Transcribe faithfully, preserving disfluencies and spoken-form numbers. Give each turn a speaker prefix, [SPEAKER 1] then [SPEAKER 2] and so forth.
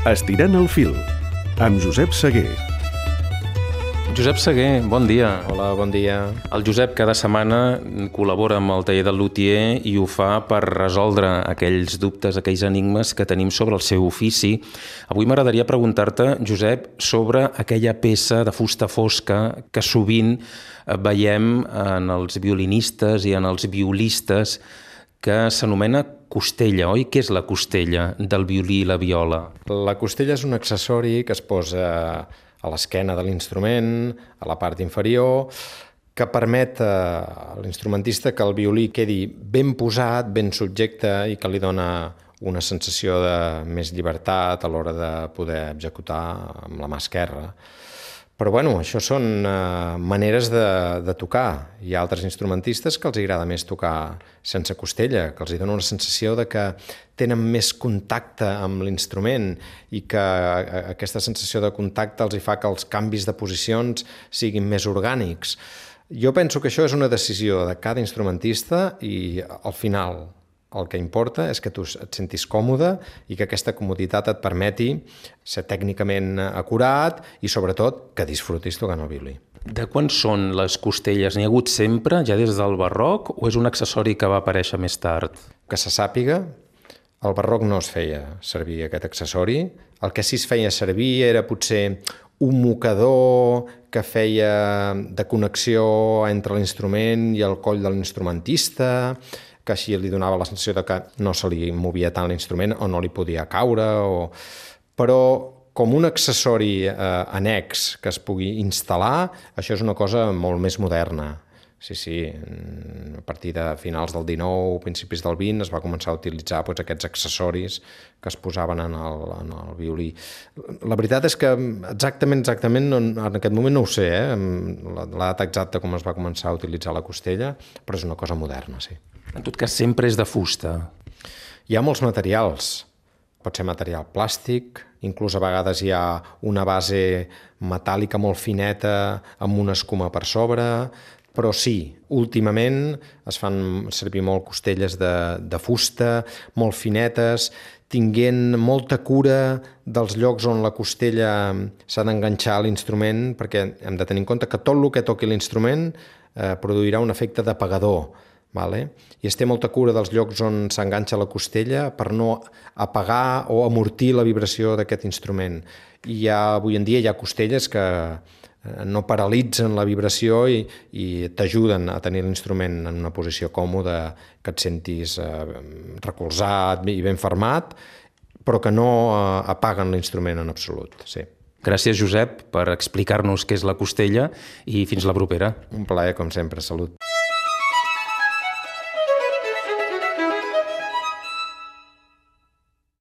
[SPEAKER 1] Estirant el fil, amb Josep Seguer.
[SPEAKER 2] Josep Seguer, bon dia.
[SPEAKER 3] Hola, bon dia.
[SPEAKER 2] El Josep cada setmana col·labora amb el taller del lutier i ho fa per resoldre aquells dubtes, aquells enigmes que tenim sobre el seu ofici. Avui m'agradaria preguntar-te, Josep, sobre aquella peça de fusta fosca que sovint veiem en els violinistes i en els violistes, que s'anomena costella, oi? Què és la costella del violí i la viola?
[SPEAKER 3] La costella és un accessori que es posa a l'esquena de l'instrument, a la part inferior, que permet a l'instrumentista que el violí quedi ben posat, ben subjecte i que li dona una sensació de més llibertat a l'hora de poder executar amb la mà esquerra. Però bueno, això són uh, maneres de, de tocar. Hi ha altres instrumentistes que els agrada més tocar sense costella, que els dona una sensació de que tenen més contacte amb l'instrument i que aquesta sensació de contacte els hi fa que els canvis de posicions siguin més orgànics. Jo penso que això és una decisió de cada instrumentista i al final el que importa és que tu et sentis còmode i que aquesta comoditat et permeti ser tècnicament acurat i, sobretot, que disfrutis tocant el violí.
[SPEAKER 2] De quan són les costelles? N'hi ha hagut sempre, ja des del barroc, o és un accessori que va aparèixer més tard?
[SPEAKER 3] Que se sàpiga, al barroc no es feia servir aquest accessori. El que sí es feia servir era potser un mocador que feia de connexió entre l'instrument i el coll de l'instrumentista, que així li donava la sensació de que no se li movia tant l'instrument o no li podia caure. O... Però com un accessori eh, annex que es pugui instal·lar, això és una cosa molt més moderna. Sí, sí, a partir de finals del dinou, principis del vint, es va començar a utilitzar doncs, aquests accessoris que es posaven en el, en el violí. La veritat és que exactament, exactament, no, en aquest moment no ho sé, eh? la, la data exacta com es va començar a utilitzar la costella, però és una cosa moderna, sí.
[SPEAKER 2] En tot cas, sempre és de fusta.
[SPEAKER 3] Hi ha molts materials. Pot ser material plàstic, inclús a vegades hi ha una base metàl·lica molt fineta amb una escuma per sobre, però sí, últimament es fan servir molt costelles de, de fusta, molt finetes, tinguent molta cura dels llocs on la costella s'ha d'enganxar a l'instrument, perquè hem de tenir en compte que tot el que toqui l'instrument eh, produirà un efecte d'apagador, vale? I es té molta cura dels llocs on s'enganxa la costella per no apagar o amortir la vibració d'aquest instrument. I ha, avui en dia hi ha costelles que no paralitzen la vibració i, i t'ajuden a tenir l'instrument en una posició còmoda, que et sentis eh, recolzat i ben fermat, però que no eh, apaguen l'instrument en absolut. Sí.
[SPEAKER 2] Gràcies, Josep, per explicar-nos què és la costella i fins la propera.
[SPEAKER 3] Un plaer, com sempre. Salut.